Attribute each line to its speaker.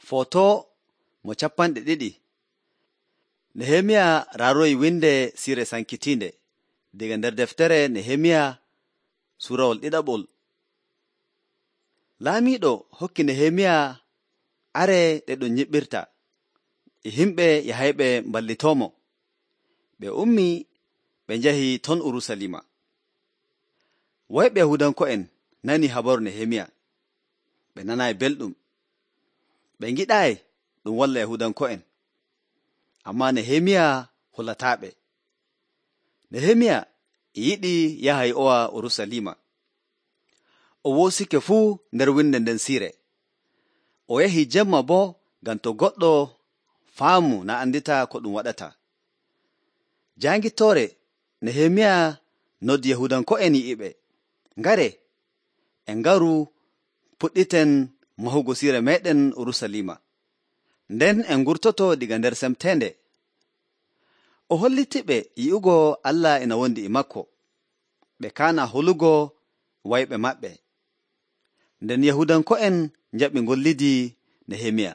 Speaker 1: Foto mo 200. Nehemiya raaroyi winde siire sankitiinde daga nder deftere Nehemiya suurawol 2. Laamiiɗo hokki Nehemiya are ɗe ɗum nyiɓɓirta e himɓe yahayɓe mballitoomo. Ɓe ummi ɓe njahi ton Urusalima. Woyɓe Yahudanko'en nani habaru Nehemiya. Ɓe nanaayi belɗum. Ɓe ngiɗaayi ɗum walla Yahudanko'en. Ammaa Nehemiya hulataaɓe. Nehemiya yiɗi yaha yi'owa Urusalima. O woosike fuu nder winde nden siire. O yahi jemma boo ngam to goɗɗo faamu na andita ko ɗum waɗata. Jaangittoore Nehemiya noddi Yahudanko'en yi'iɓe, ngare, en ngaru puɗɗiten mahugo siire meeɗen Urusalima. Nden en ngurtoto diga nder semteende. O hollitiɓe yi'ugo Allah ina wondi e makko. Ɓe kaana holugo wayɓe maɓɓe. Nden Yahudanko'en njaɓi ngollidi Nehemiya.